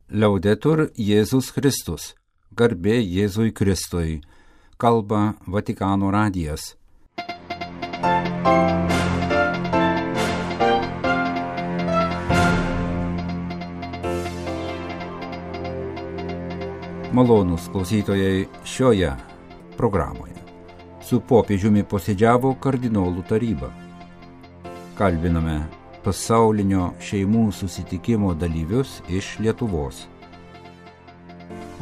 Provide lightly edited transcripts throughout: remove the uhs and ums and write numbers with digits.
Liaudetur Jėzus Kristus, garbė Jėzui Kristui, kalba Vatikano radijas. Malonūs klausytojai, šioje programoje su popiežiumi posėdžiavo kardinolų taryba. Kalbiname pasaulinio šeimų susitikimo dalyvius iš Lietuvos.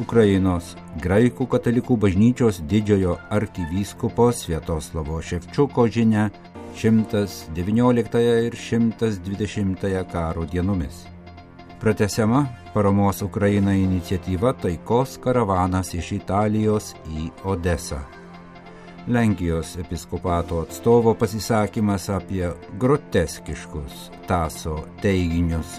Ukrainos graikų katalikų bažnyčios didžiojo arkivyskupo Sviatoslavo Ševčiuko žinia 119 ir 120 karo dienomis. Pratęsiama paramos Ukrainai iniciatyva taikos karavanas iš Italijos į Odesą. Lenkijos episkopato atstovo pasisakymas apie groteskiškus Taso teiginius.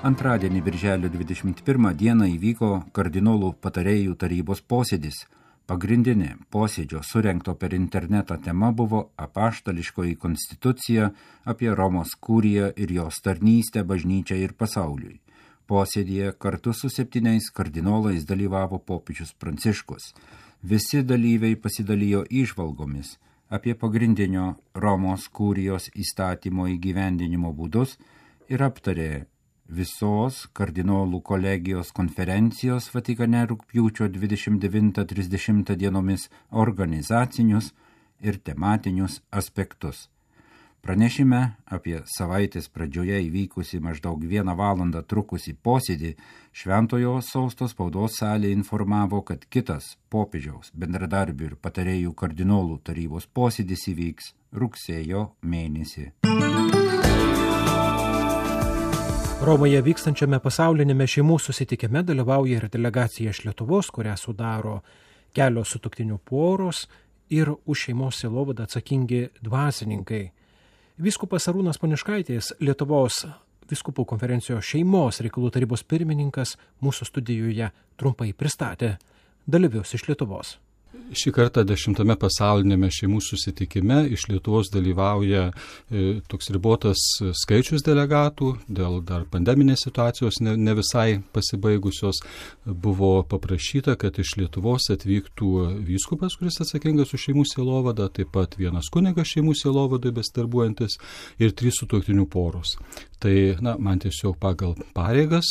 Antradienį birželio 21 dieną įvyko kardinolų patarėjų tarybos posėdis. Pagrindinė posėdžio surengto per internetą tema buvo apaštališkoji konstitucija apie Romos kuriją ir jos tarnystę bažnyčiai ir pasauliui. Posėdėje kartu su 7 kardinolais dalyvavo popiežius Pranciškus. Visi dalyviai pasidalijo įžvalgomis apie pagrindinio Romos kurijos įstatymo įgyvendinimo būdus ir aptarė visos kardinolų kolegijos konferencijos Vatikane rugpjūčio 29-30 dienomis organizacinius ir tematinius aspektus. Pranešime apie savaitės pradžioje įvykusi maždaug 1 valandą trukusį posėdį Šventojo Sosto spaudos salė informavo, kad kitas popiežiaus bendradarbių ir patarėjų kardinolų tarybos posėdis įvyks rugsėjo mėnesį. Romoje vykstančiame pasaulinėme šeimų susitikime dalyvauja ir delegacija iš Lietuvos, kurią sudaro kelios sutuoktinių poros ir už šeimos sielovadą atsakingi dvasininkai. Vyskupas Arūnas Poniškaitis, Lietuvos vyskupų konferencijos šeimos reikalų tarybos pirmininkas, mūsų studijoje trumpai pristatė dalyvius iš Lietuvos. Šį kartą 10 pasaulinėme šeimų susitikime iš Lietuvos dalyvauja toks ribotas skaičius delegatų, dėl dar pandeminės situacijos ne visai pasibaigusios. Buvo paprašyta, kad iš Lietuvos atvyktų vyskupas, kuris atsakingas už šeimų sielovadą, taip pat 1 kunigas šeimų sielovadai besidarbuojantis ir 3 sutuoktinių poros. Tai, man tiesiog pagal pareigas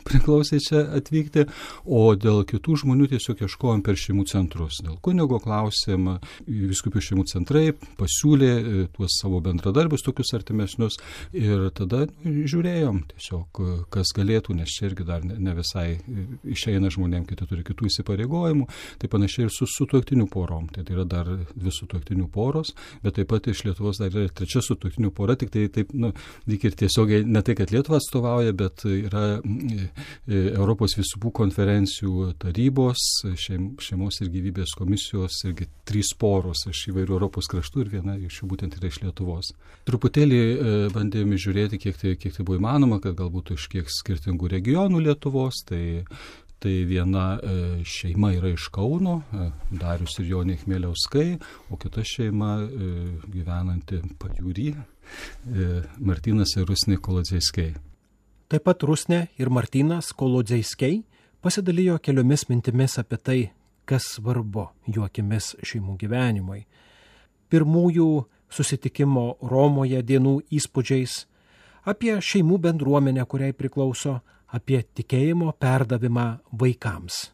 priklausė čia atvykti, o dėl kitų žmonių tiesiog ieškojom per šeimų centrus. Dėl kunigo klausėm, vyskupijų šeimų centrai pasiūlė tuos savo bendradarbius, tokius artimesnius, ir tada žiūrėjom tiesiog, kas galėtų, nes čia irgi dar ne visai išeina žmonėm, kiti turi kitų įsipareigojimų, tai panašiai ir su sutuoktinių porom. Tai yra dar 2 sutuoktinių poros, bet taip pat iš Lietuvos dar yra 3 sutuoktinių pora, tik tai taip, lyg ir tiesiog ne tai, kad Lietuva atstovauja, bet yra Europos vyskupų konferencijų tarybos, šeimos ir gyvybės komisijos irgi 3 poros iš įvairių Europos kraštų ir viena iš jų būtent yra iš Lietuvos. Truputėlį bandėme žiūrėti, kiek tai buvo įmanoma, kad galbūt iš kiek skirtingų regionų Lietuvos. Tai viena šeima yra iš Kauno, Darius ir Jonė Chmieliauskai, o kita šeima gyvenanti Pajūry, Martynas ir Rusnė Kolodziejskai. Taip pat Rusnė ir Martynas Kolodziejskai pasidalijo keliomis mintimis apie tai, kas svarbu jų akimis šeimų gyvenimui. Pirmųjų susitikimo Romoje dienų įspūdžiais, apie šeimų bendruomenę, kuriai priklauso, apie tikėjimo perdavimą vaikams.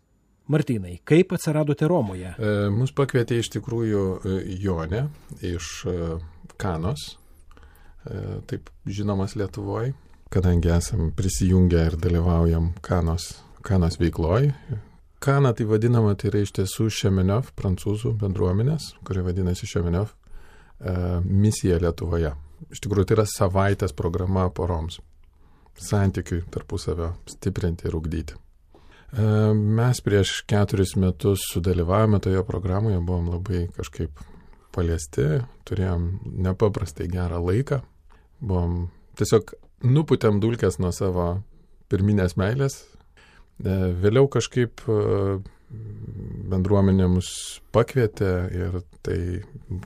Martynai, kaip atsiradote Romoje? Mus pakvietė iš tikrųjų Jonė iš Kanos, taip žinomas Lietuvoje, kadangi esam prisijungę ir dalyvaujam Kanos veikloj. Kana tai vadinama, tai yra iš tiesų Šemeniov, prancūzų bendruomenės, kuri vadinasi Šemeniov, misija Lietuvoje. Iš tikrųjų, tai yra savaitės programa poroms, santykiui tarpusavio stiprinti ir ugdyti. Mes prieš 4 metus sudalyvavome toje programoje, buvom labai kažkaip paliesti, turėjom nepaprastai gerą laiką, buvom tiesiog nupūtėm dulkes nuo savo pirminės meilės. Vėliau kažkaip bendruomenė mus pakvietė ir tai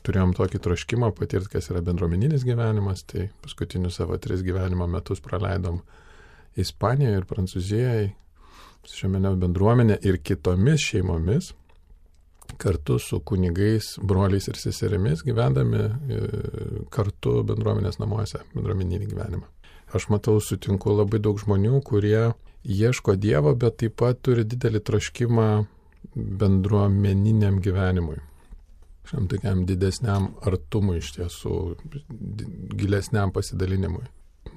turėjom tokį troškimą patirti, kas yra bendruomeninis gyvenimas, tai paskutinius savo 3 gyvenimo metus praleidom Ispanijoje ir Prancūzijoje, šiame bendruomenė ir kitomis šeimomis, kartu su kunigais, broliais ir seserimis gyvendami kartu bendruomenės namuose, bendruomeninį gyvenimą. Aš matau, sutinku labai daug žmonių, kurie ieško Dievo, bet taip pat turi didelį troškimą bendruomeniniam gyvenimui. Šiam tokiam didesniam artumui iš tiesų, gilesniam pasidalinimui.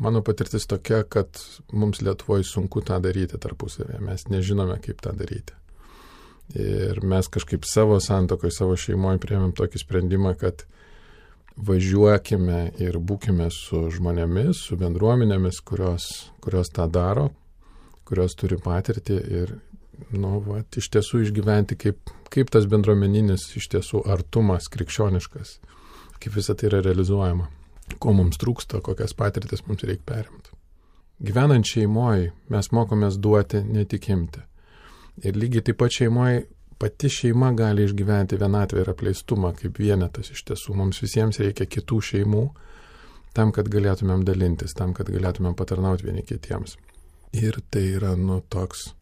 Mano patirtis tokia, kad mums Lietuvoje sunku tą daryti tarpusavėje. Mes nežinome, kaip tą daryti. Ir mes kažkaip savo santuokoje, savo šeimoje priėmėm tokį sprendimą, kad važiuokime ir būkime su žmonėmis, su bendruomenėmis, kurios tą daro, kurios turi patirtį ir iš tiesų išgyventi, kaip tas bendruomeninis iš tiesų artumas krikščioniškas, kaip visą tai yra realizuojama. Ko mums trūksta, kokias patirtis mums reikia perimti. Gyvenant šeimoje mes mokomės duoti, ne tik imti. Ir lygiai taip pat šeimoje pati šeima gali išgyventi vienatvę ir apleistumą kaip vienetas iš tiesų. Mums visiems reikia kitų šeimų tam, kad galėtumėm dalintis, tam, kad galėtumėm patarnauti vieni kitiems. Ir tai yra toks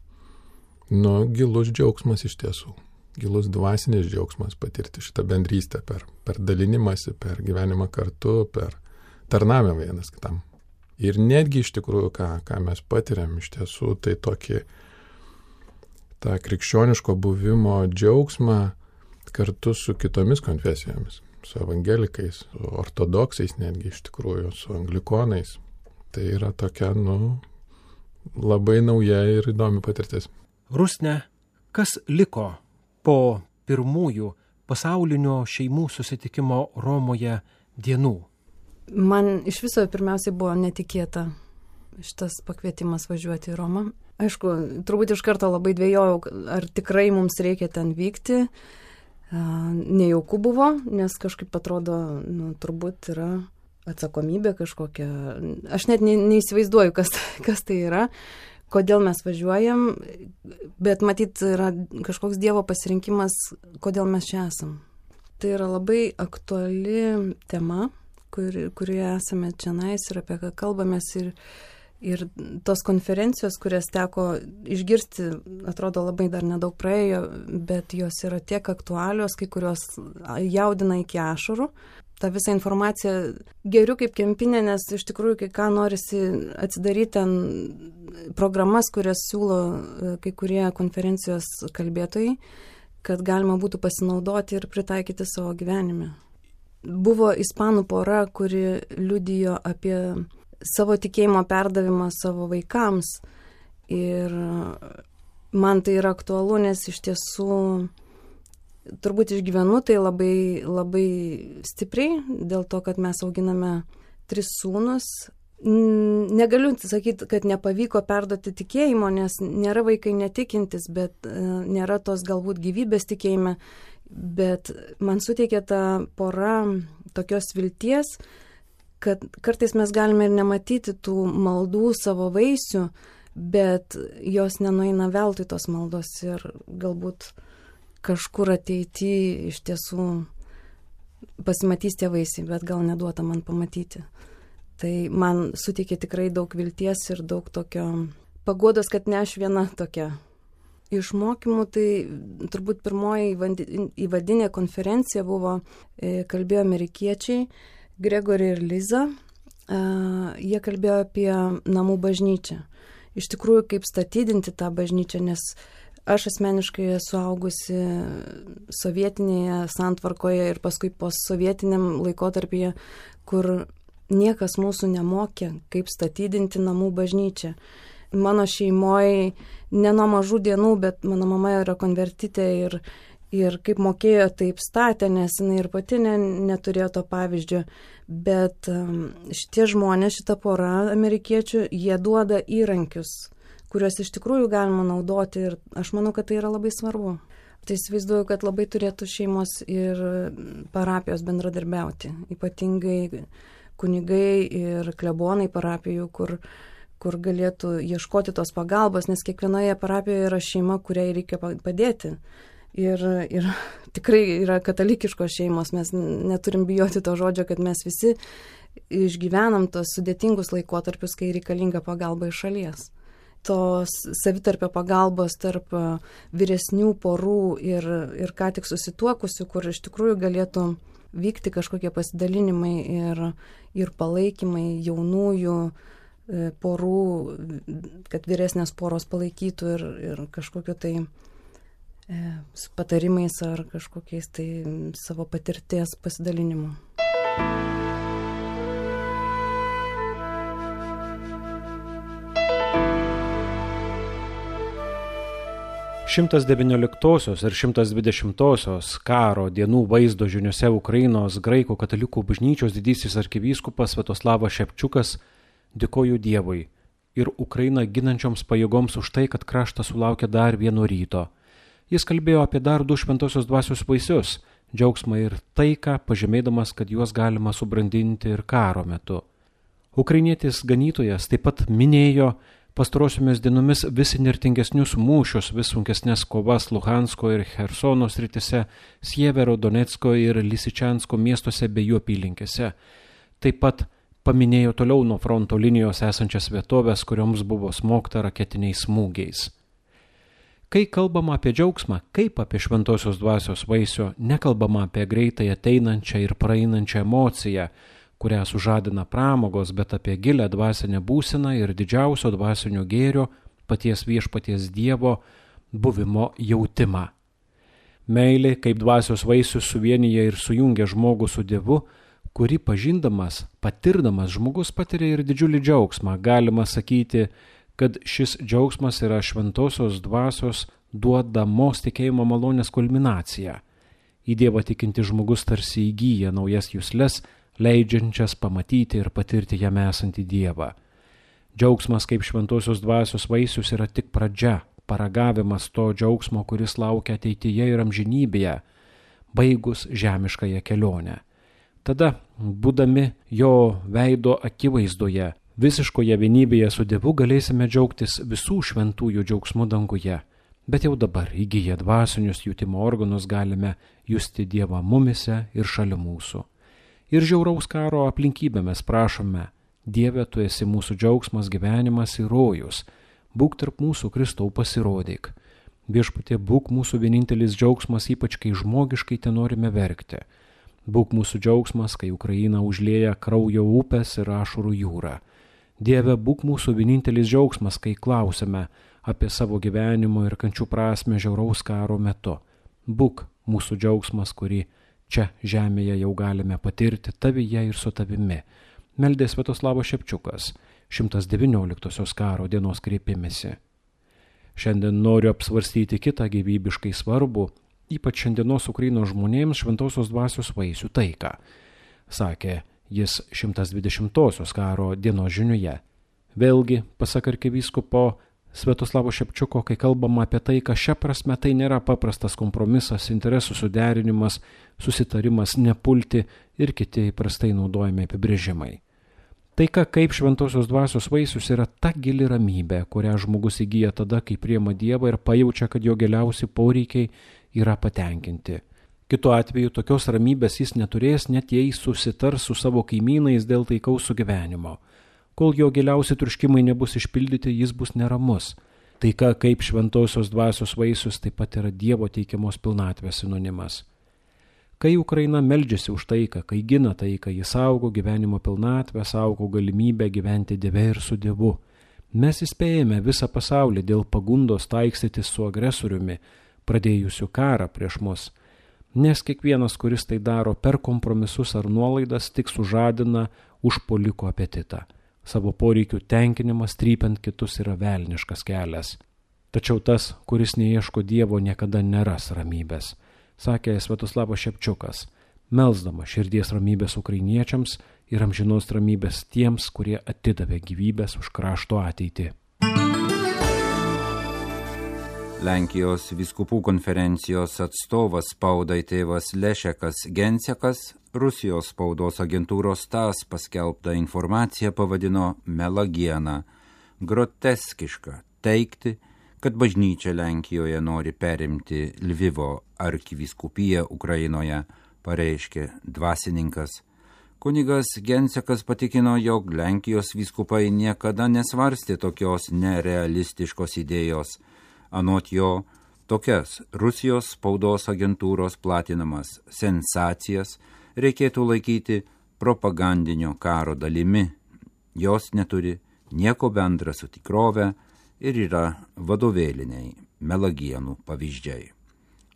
gilus džiaugsmas iš tiesų. Gilus dvasinis džiaugsmas patirti šitą bendrystę per dalinimąsi, per gyvenimą kartu, per tarnavimą vienas kitam. Ir netgi iš tikrųjų, ką mes patiriam iš tiesų, tai tokį tą krikščioniško buvimo džiaugsmą kartu su kitomis konfesijomis, su evangelikais, su ortodoksais netgi iš tikrųjų, su anglikonais. Tai yra tokia, labai nauja ir įdomi patirtis. Rusne, kas liko po pirmųjų pasaulinio šeimų susitikimo Romoje dienų? Man iš viso pirmiausiai buvo netikėta šitas pakvietimas važiuoti į Romą. Aišku, turbūt iš karto labai dvejojau, ar tikrai mums reikia ten vykti. Nejauku buvo, nes kažkaip atrodo, turbūt yra atsakomybė kažkokia. Aš net neįsivaizduoju, kas tai yra. Kodėl mes važiuojam, bet matyt yra kažkoks Dievo pasirinkimas, kodėl mes čia esam. Tai yra labai aktuali tema, kurioje esame čionais ir apie ką kalbamės ir tos konferencijos, kurias teko išgirsti, atrodo labai dar nedaug praėjo, bet jos yra tiek aktualios, kai kurios jaudina iki ašarų. Ta visa informacija geriu kaip kempinė, nes iš tikrųjų, kai ką norisi atsidaryti ten programas, kurias siūlo kai kurie konferencijos kalbėtojai, kad galima būtų pasinaudoti ir pritaikyti savo gyvenime. Buvo ispanų pora, kuri liudijo apie savo tikėjimo perdavimą savo vaikams ir man tai yra aktualu, nes iš tiesų turbūt išgyvenu tai labai, labai stipriai, dėl to, kad mes auginame 3 sūnus. Negaliu sakyti, kad nepavyko perduoti tikėjimo, nes nėra vaikai netikintis, bet nėra tos galbūt gyvybės tikėjime, bet man suteikia ta pora tokios vilties, kad kartais mes galime ir nematyti tų maldų savo vaisių, bet jos nenueina veltui tos maldos ir galbūt kažkur ateityje iš tiesų pasimatys tie vaisiai, bet gal neduota man pamatyti. Tai man suteikė tikrai daug vilties ir daug tokio paguodos, kad ne aš viena tokia. Iš mokymų tai turbūt pirmoji įvadinė konferencija buvo, kalbėjo amerikiečiai, Gregory ir Liza. Jie kalbėjo apie namų bažnyčią. Iš tikrųjų, kaip statydinti tą bažnyčią, nes aš asmeniškai esu augusi sovietinėje santvarkoje ir paskui postsovietiniam laikotarpyje, kur niekas mūsų nemokė, kaip statydinti namų bažnyčią. Mano šeimoje ne nuo mažų dienų, bet mano mama yra konvertitė ir kaip mokėjo, taip statė, nes jinai ir pati neturėjo to pavyzdžio. Bet šitie žmonės, šita pora amerikiečių, jie duoda įrankius, kuriuos iš tikrųjų galima naudoti ir aš manau, kad tai yra labai svarbu. Tai įsivaizduoju, kad labai turėtų šeimos ir parapijos bendradarbiauti, ypatingai kunigai ir klebonai parapijų, kur galėtų ieškoti tos pagalbos, nes kiekvienoje parapijoje yra šeima, kuriai reikia padėti. Ir tikrai yra katalikiškos šeimos, mes neturim bijoti to žodžio, kad mes visi išgyvenam tos sudėtingus laikotarpius, kai reikalinga pagalba iš šalies. Tos savitarpio pagalbos tarp vyresnių porų ir ką tik susituokusių, kur iš tikrųjų galėtų vykti kažkokie pasidalinimai ir palaikymai jaunųjų porų, kad vyresnės poros palaikytų ir kažkokiu tai patarimais ar kažkokiais tai savo patirties pasidalinimu. 119 ir 120 karo dienų vaizdo žiniose Ukrainos graikų katalikų bažnyčios didysis arkivyskupas Sviatoslavas Šepčiukas dėkojo Dievui ir Ukrainą ginančioms pajėgoms už tai, kad kraštas sulaukė dar vieno ryto. Jis kalbėjo apie dar 2 šventosios dvasios vaisius – džiaugsmą ir taiką, pažymėdamas, kad juos galima subrandinti ir karo metu. Ukrainietis ganytojas taip pat minėjo pastarosiomis dienomis vis įnirtingesnius mūšius, vis sunkesnės kovas Luhansko ir Chersono sritise, Sievero, Donecko ir Lisičansko miestuose bei jų apylinkėse. Taip pat paminėjo toliau nuo fronto linijos esančias vietovės, kurioms buvo smogta raketiniais smūgiais. Kai kalbama apie džiaugsmą, kaip apie šventosios dvasios vaisių, nekalbama apie greitai ateinančią ir praeinančią emociją, kurią sužadina pramogos, bet apie gilę dvasinę būseną ir didžiausio dvasinio gėrio, paties viešpaties Dievo buvimo jautimą. Meilė kaip dvasios vaisius suvienyje ir sujungia žmogų su Dievu, kurį pažindamas, patirdamas žmogus patiria ir didžiulį džiaugsmą. Galima sakyti, kad šis džiaugsmas yra šventosios dvasios duodamos tikėjimo malonės kulminacija. Į Dievą tikinti žmogus tarsi įgyja naujas jusles, leidžiančias pamatyti ir patirti jame esantį Dievą. Džiaugsmas kaip šventosios dvasios vaisius yra tik pradžia, paragavimas to džiaugsmo, kuris laukia ateityje ir amžinybėje, baigus žemiškąją kelionę. Tada, būdami jo veido akivaizdoje, visiškoje vienybėje su Dievu, galėsime džiaugtis visų šventųjų džiaugsmų danguje, bet jau dabar įgyję dvasinius jutimo organus galime justi Dievą mumise ir šalia mūsų. Ir žiauraus karo aplinkybėmis prašome, Dieve, tu esi mūsų džiaugsmas, gyvenimas ir rojus, būk tarp mūsų, Kristau, pasirodyk. Viešpatie, būk mūsų vienintelis džiaugsmas, ypač kai žmogiškai te norime verkti. Būk mūsų džiaugsmas, kai Ukraina užlieja kraujo upės ir ašarų jūrą. Dieve, būk mūsų vienintelis džiaugsmas, kai klausime apie savo gyvenimo ir kančių prasmę žiauraus karo metu. Būk mūsų džiaugsmas, kurį čia žemėje jau galime patirti tavyje ir su tavimi. Meldė Sviatoslavas Šepčiukas, 119 karo dienos kreipimesi. Šiandien noriu apsvarstyti kitą gyvybiškai svarbų, ypač šiandienos Ukrainos žmonėms šventosios dvasios vaisių taiką, sakė jis 120 karo dienos žiniuje. Vėlgi, pasak arkivyskupo Sviatoslavo Šepčiuko, kai kalbama apie taiką, šia prasme tai nėra paprastas kompromisas, interesų suderinimas, susitarimas, nepulti ir kiti įprastai naudojami apibrėžimai. Taika kaip šventosios dvasios vaisius yra ta gili ramybė, kurią žmogus įgyja tada, kai priima Dievą ir pajaučia, kad jo giliausi poreikiai yra patenkinti. Kitu atveju tokios ramybės jis neturės, net jei susitars su savo kaimynais dėl taikaus sugyvenimo. Kol jo giliausi troškimai nebus išpildyti, jis bus neramus. Taika kaip šventosios dvasios vaisius taip pat yra Dievo teikiamos pilnatvės sinonimas. Kai Ukraina meldžiasi už taiką, kai gina taiką, jis saugo gyvenimo pilnatvę, saugo galimybę gyventi Dieve ir su Dievu. Mes įspėjame visą pasaulį dėl pagundos taikstytis su agresoriumi, pradėjusiu karą prieš mus. Nes kiekvienas, kuris tai daro per kompromisus ar nuolaidas, tik sužadina užpuoliko apetitą. Savo poreikių tenkinimas trypiant kitus yra velniškas kelias. Tačiau tas, kuris neieško Dievo, niekada neras ramybės, sakė Sviatoslavas Šepčiukas, melsdama širdies ramybės ukrainiečiams ir amžinos ramybės tiems, kurie atidavė gyvybės už krašto ateitį. Lenkijos vyskupų konferencijos atstovas spaudai tėvas Lešekas Gencekas Rusijos spaudos agentūros TASS paskelbtą informaciją pavadino melagiena. groteskiška teigti, kad bažnyčia Lenkijoje nori perimti Lvivo arkivyskupiją Ukrainoje, pareiškė dvasininkas. Kunigas Gensekas patikino, jog Lenkijos vyskupai niekada nesvarstė tokios nerealistiškos idėjos. Anot jo, tokias Rusijos spaudos agentūros platinamas sensacijas reikėtų laikyti propagandinio karo dalimi. Jos neturi nieko bendra su tikrove ir yra vadovėliniai melagienų pavyzdžiai.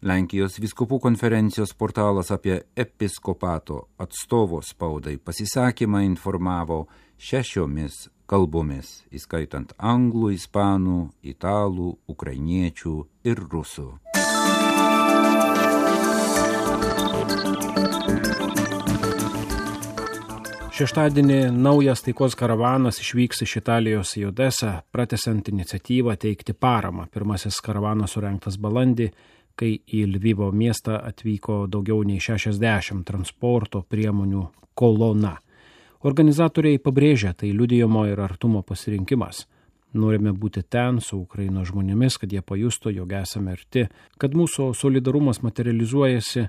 Lenkijos vyskupų konferencijos portalas apie episkopato atstovo spaudai pasisakymą informavo 6 kalbomis, įskaitant anglų, ispanų, italų, ukrainiečių ir rusų. Šeštadienį naujas taikos karavanas išvyks iš Italijos į Odesą, pratęsiant iniciatyvą teikti paramą. Pirmasis karavanas surengtas balandį, kai į Lvivo miestą atvyko daugiau nei 60 transporto priemonių kolona. Organizatoriai pabrėžia, tai liudijimo ir artumo pasirinkimas. Norime būti ten su Ukrainos žmonėmis, kad jie pajustų, jog esame arti, kad mūsų solidarumas materializuojasi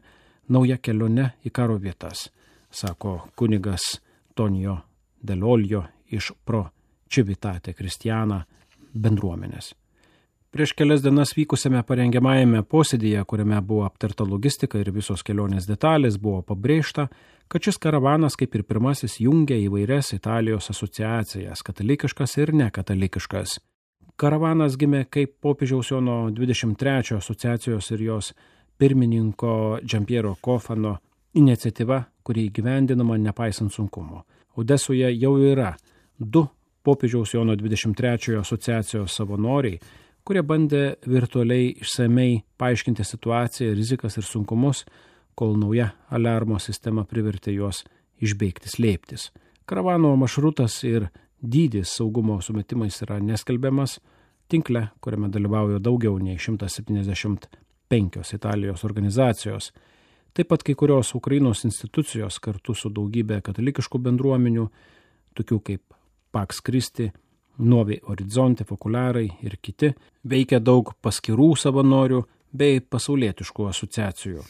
nauja kelionė į karo vietas, sako kunigas Tonio Delolio iš Pro Civitate Cristiana bendruomenės. Prieš kelias dienas vykusiame parengiamajame posėdyje, kuriame buvo aptarta logistika ir visos kelionės detalės, buvo pabrėžta, kad šis karavanas, kaip ir pirmasis, jungia įvairias Italijos asociacijas, katalikiškas ir nekatalikiškas. Karavanas gimė kaip popiežiaus Jono 23 asociacijos ir jos pirmininko Giampiero Cofano iniciatyva, kuri įgyvendinama nepaisant sunkumo. Odesoje jau yra 2 popiežiaus Jono 23 asociacijos savanoriai, kurie bandė virtualiai išsamei paaiškinti situaciją, rizikas ir sunkumus, kol nauja aliarmo sistema privertė juos išbėgti slėptis. Karavano maršrutas ir dydis saugumo sumetimais yra neskelbiamas. Tinkle, kuriame dalyvauja daugiau nei 175 Italijos organizacijos, taip pat kai kurios Ukrainos institucijos kartu su daugybė katalikiškų bendruomenių, tokių kaip Pax Christi, Nuovi Orizzonte, Fokuliarai ir kiti, veikia daug paskirų savanorių bei pasaulietiškų asociacijų.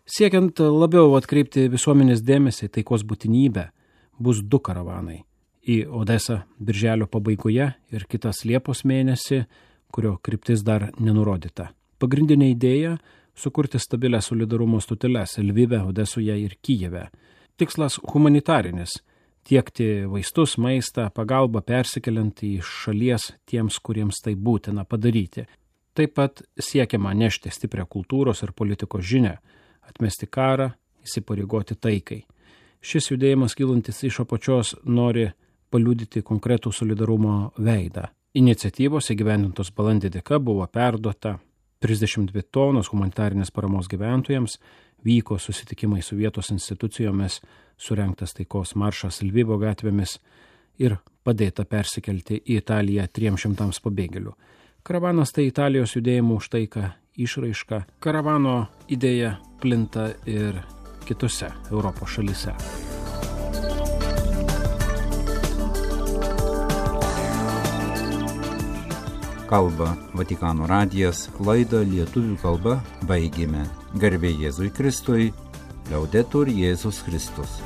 Siekiant labiau atkreipti visuomenės dėmesį taikos būtinybę, bus 2 karavanai. Į Odesą birželio pabaigoje ir kitas Liepos mėnesį, kurio kryptis dar nenurodyta. Pagrindinė idėja – sukurti stabilę solidarumo stoteles Lvive, Odesoje ir Kijeve. Tikslas humanitarinis – tiekti vaistus, maistą, pagalbą persikeliant į šalies tiems, kuriems tai būtina padaryti. Taip pat siekiama nešti stiprią kultūros ir politikos žinią, atmesti karą, įsipareigoti taikai. Šis judėjimas kylantis iš apačios nori paliudyti konkretų solidarumo veidą. Iniciatyvos įgyvendintos balandį dėka buvo perduota 32 tonos humanitarinės paramos gyventojams, vyko susitikimai su vietos institucijomis, surengtas taikos maršas Lvivo gatvėmis ir padėta persikelti į Italiją 300 pabėgėlių. Karavanas tai Italijos judėjimo už taiką išraiška. Karavano idėja plinta ir kitose Europos šalyse. Kalba Vatikano radijas, laidą lietuvių kalba baigėme. Garbė Jėzui Kristui, Liaudetur Jėzus Kristus.